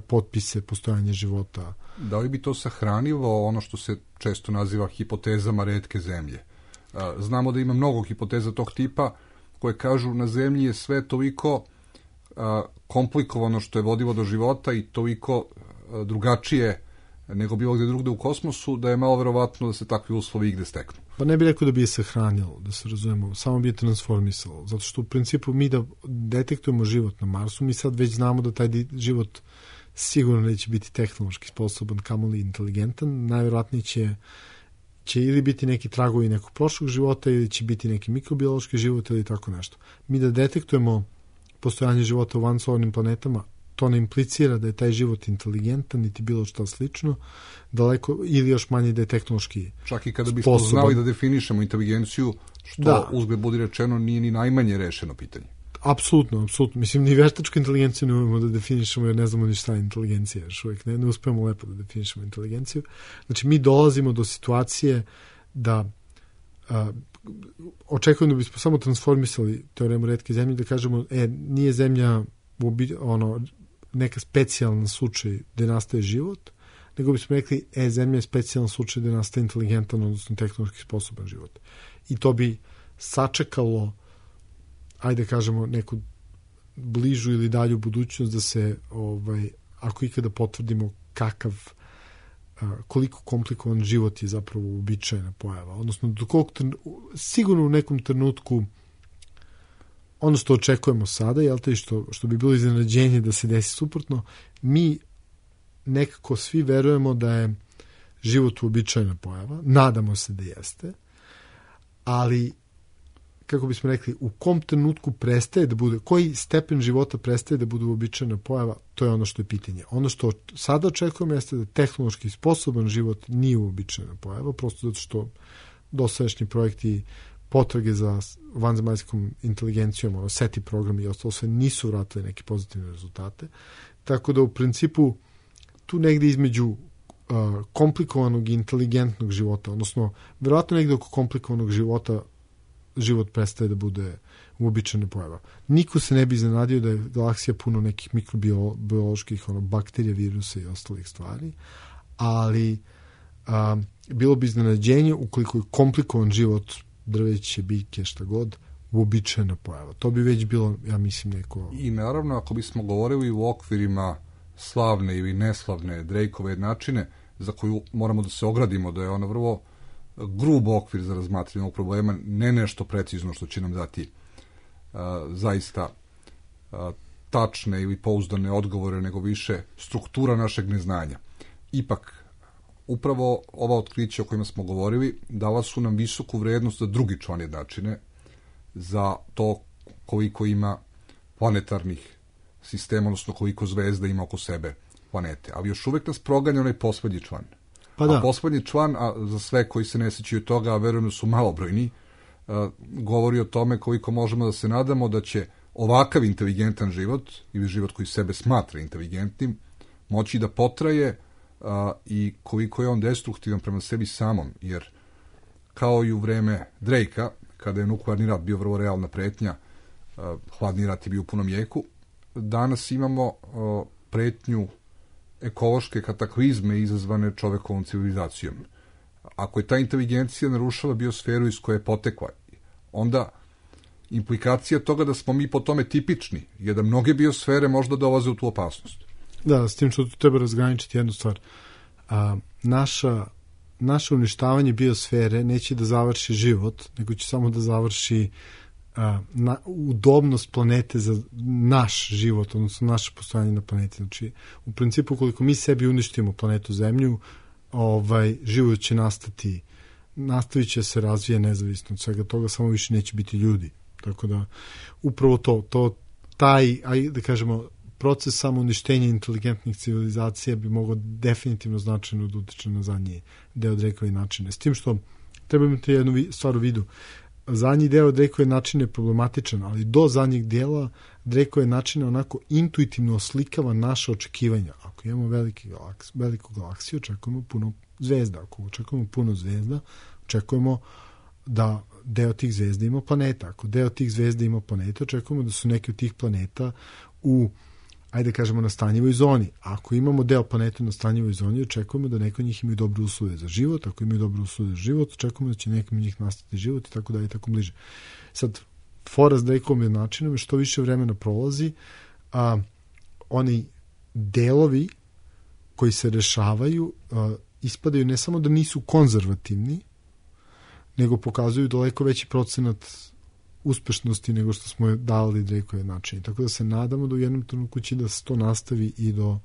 F: potpise postojanja života.
E: Da li bi to sahranilo ono što se često naziva hipotezama retke zemlje? Znamo da ima mnogo hipoteza tog tipa koje kažu na zemlji je sve toliko komplikovano što je vodilo do života i toliko drugačije nego bilo gde drugde u kosmosu, da je malo verovatno da se takvi uslovi igde steknu.
F: Pa ne bih rekao da bi je sahranilo, da se razumemo, samo bi je transformisalo, zato što u principu mi da detektujemo život na Marsu, mi sad već znamo da taj život sigurno neće biti tehnološki sposoban, kamoli inteligentan, najverovatnije će ili biti neki tragovi nekog prošlog života ili će biti neki mikrobiološki život ili tako nešto. Mi da detektujemo postojanje života u vansolarnim planetama, to ne implicira da je taj život inteligentan, niti bilo što slično, daleko, ili još manje da je tehnološki
E: čak i kada bismo znali da definišemo inteligenciju, što uzgled budi rečeno nije ni najmanje rešeno pitanje.
F: Apsolutno. Mislim, ni veštačku inteligenciju ne umemo da definišemo, jer ne znamo ni šta je inteligencija, još uvijek ne uspemo lepo da definišemo inteligenciju. Znači, mi dolazimo do situacije da očekujem da bismo samo transformisali teoremu retke zemlje, da kažemo, nije zemlja neka specijalna slučaj gde nastaje život, nego bismo rekli, zemlja je specijalan slučaj gde nastaje inteligentan, odnosno tehnološki sposoban život. I to bi sačekalo, ajde kažemo, neku bližu ili dalju budućnost da se, ako ikada potvrdimo koliko komplikovan život je zapravo uobičajena pojava. Odnosno, sigurno u nekom trenutku ono što očekujemo sada, što bi bilo iznenađenje da se desi suprotno, mi nekako svi verujemo da je život uobičajena pojava, nadamo se da jeste, ali kako bismo rekli, u kom trenutku prestaje da bude, koji stepen života prestaje da bude uobičajena pojava, to je ono što je pitanje. Ono što sada očekujemo jeste da tehnološki sposoban život nije uobičajena pojava, prosto zato što dosadašnji projekti potrage za vanzemaljskom inteligencijom, SETI programi i ostalo sve nisu vratili neke pozitivne rezultate. Tako da u principu tu negde između komplikovanog i inteligentnog života, odnosno verovatno negde oko komplikovanog života život prestaje da bude uobičajena pojava. Niko se ne bi iznenadio da je galaksija puno nekih mikrobioloških bakterija, virusa i ostalih stvari, ali bilo bi iznenađenje ukoliko je komplikovan život, drveće, biljke, šta god, uobičajena pojava. To bi već bilo, ja mislim, neko...
E: I naravno, ako bismo govorili u okvirima slavne ili neslavne Drakeove jednačine, za koju moramo da se ogradimo, da je ona vrlo grub okvir za razmatranje ovog problema, ne nešto precizno što će nam dati zaista tačne ili pouzdane odgovore, nego više struktura našeg neznanja. Ipak, upravo ova otkrića o kojima smo govorili dala su nam visoku vrednost za drugi član jednačine, za to koliko ima planetarnih sistema, odnosno koliko zvezda ima oko sebe planete. Ali još uvek nas proganja onaj poslednji član. A poslednji član, a za sve koji se ne sećaju toga, a verujem da su malobrojni, govori o tome koliko možemo da se nadamo da će ovakav inteligentan život, ili život koji sebe smatra inteligentnim, moći da potraje i koliko je on destruktivan prema sebi samom, jer kao i u vreme Drakea, kada je nuklearni rat bio vrlo realna pretnja, hladni rat je bio u punom jeku, danas imamo pretnju ekološke kataklizme izazvane čovekovom civilizacijom. Ako je ta inteligencija narušala biosferu iz koje je potekla, onda implikacija toga da smo mi po tome tipični je da mnoge biosfere možda dolaze u tu opasnost.
F: Da, s tim što tu treba razgraničiti jednu stvar. Naše uništavanje biosfere neće da završi život, nego će samo da završi udobnost planete za naš život, odnosno naše postojanje na planeti. Znači, u principu, koliko mi sebi uništimo planetu Zemlju, život će nastavit će se razvija nezavisno od svega toga, samo više neće biti ljudi. Tako da, upravo taj, da kažemo, proces samouništenja inteligentnih civilizacija bi mogao definitivno značajno da utiče na zadnji deo Drakeove načine. S tim što treba imati jednu stvar u vidu. Zadnji deo Drakeove načine je problematičan, ali do zadnjeg dela Drakeove načine onako intuitivno oslikava naše očekivanja. Ako imamo veliku galaksiju, očekujemo puno zvezda. Ako očekujemo puno zvezda, očekujemo da deo tih zvezda ima planeta. Ako deo tih zvezda ima planeta, očekujemo da su neki od tih planeta u, ajde kažemo, na stanjivoj zoni. Ako imamo deo planeta na stanjivoj zoni, očekujemo da neko od njih imaju dobre uslove za život. Ako imaju dobre uslove za život, očekujemo da će nekom od njih nastati život i tako dalje i tako bliže. Sad, fora s Drakeovim načinom je što više vremena prolazi, oni delovi koji se rešavaju ispadaju ne samo da nisu konzervativni, nego pokazuju daleko veći procenat uspešnosti nego što smo dali Drakeove načine. Tako da se nadamo da u jednom trenutku će da se to nastavi i do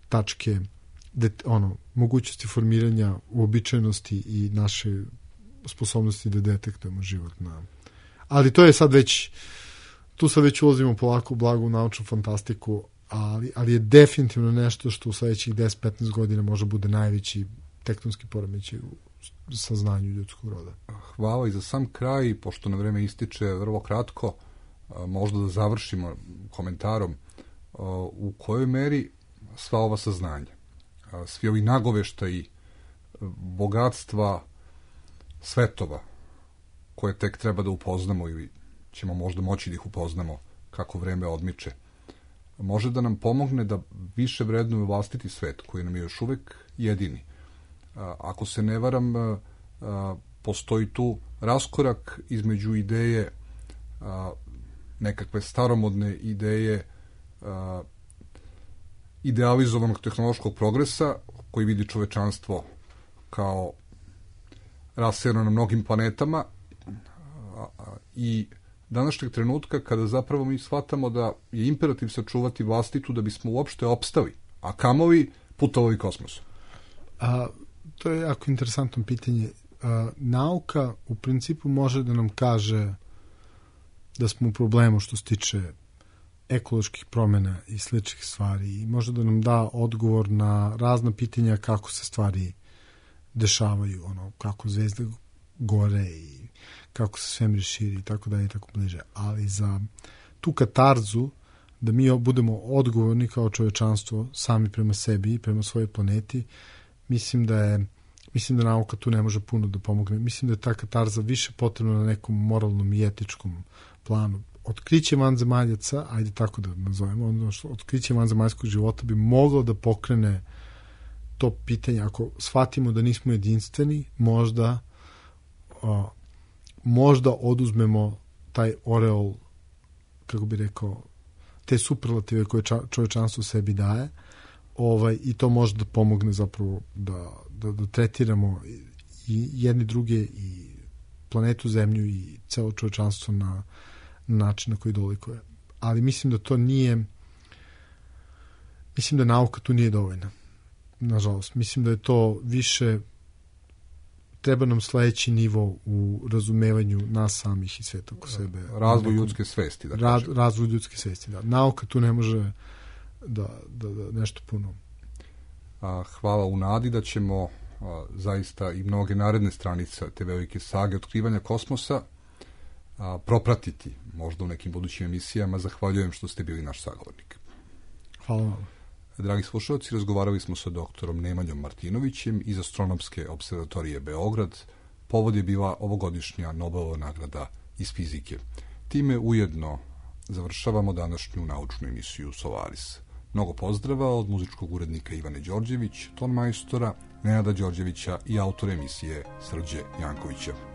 F: tačke mogućnosti formiranja uobičajenosti i naše sposobnosti da detektujemo život na... Ali to je sad već, tu sad već ulazimo polako u blagu naučnu fantastiku, ali je definitivno nešto što u sledećih 10-15 godina može bude najveći tektonski poremećaj u saznanju ljudskog roda.
E: Hvala i za sam kraj, pošto na vreme ističe vrlo kratko, možda da završimo komentarom u kojoj meri sva ova saznanja, svi ovi nagoveštaji bogatstva svetova koje tek treba da upoznamo ili ćemo možda moći da ih upoznamo kako vreme odmiče, može da nam pomogne da više vrednujemo vlastiti svet koji nam je još uvek jedini. Ako se ne varam, postoji tu raskorak između ideje, nekakve staromodne ideje idealizovanog tehnološkog progresa koji vidi čovečanstvo kao raseljeno na mnogim planetama i današnjeg trenutka kada zapravo mi shvatamo da je imperativ sačuvati vlastitu da bismo uopšte opstali, a kamoli putovali kosmosom.
F: To je jako interesantno pitanje. Nauka u principu može da nam kaže da smo u problemu što se tiče ekoloških promjena i sličnih stvari i može da nam da odgovor na razna pitanja kako se stvari dešavaju, kako zvezde gore i kako se svemir širi i tako dalje i tako bliže. Ali za tu katarzu da mi budemo odgovorni kao čovečanstvo sami prema sebi i prema svojoj planeti, mislim da nauka tu ne može puno da pomogne. Mislim da je ta katarza više potrebna na nekom moralnom i etičkom planu. Otkriće vanzemaljaca, ajde tako da nazovemo, otkriće vanzemaljskog života bi moglo da pokrene to pitanje. Ako shvatimo da nismo jedinstveni, možda oduzmemo taj oreol, kako bi rekao, te superlative koje čovečanstvo sebi daje, i to može da pomogne zapravo da tretiramo i jedni druge i planetu Zemlju i celo čovečanstvo na način na koji dolikuje. Ali mislim da to nije, mislim da nauka tu nije dovoljna. Nažalost, mislim da je to više, treba nam sledeći nivo u razumevanju nas samih i sveta oko sebe.
E: Razvoj ljudske svesti, da kažem.
F: Razvoj ljudske svesti, da. Nauka tu ne može da nešto puno.
E: Hvala u nadi da ćemo zaista i mnoge naredne stranice te velike sage otkrivanja kosmosa propratiti možda u nekim budućim emisijama. Zahvaljujem što ste bili naš sagovornik.
F: Hvala vam.
E: Dragi slušalci, razgovarali smo sa doktorom Nemanjom Martinovićem iz Astronomske observatorije Beograd. Povod je bila ovogodišnja Nobelova nagrada iz fizike. Time ujedno završavamo današnju naučnu emisiju Solaris. Mnogo pozdrava od muzičkog urednika Ivane Đorđević, ton majstora Nenada Đorđevića i autora emisije Srđe Jankovića.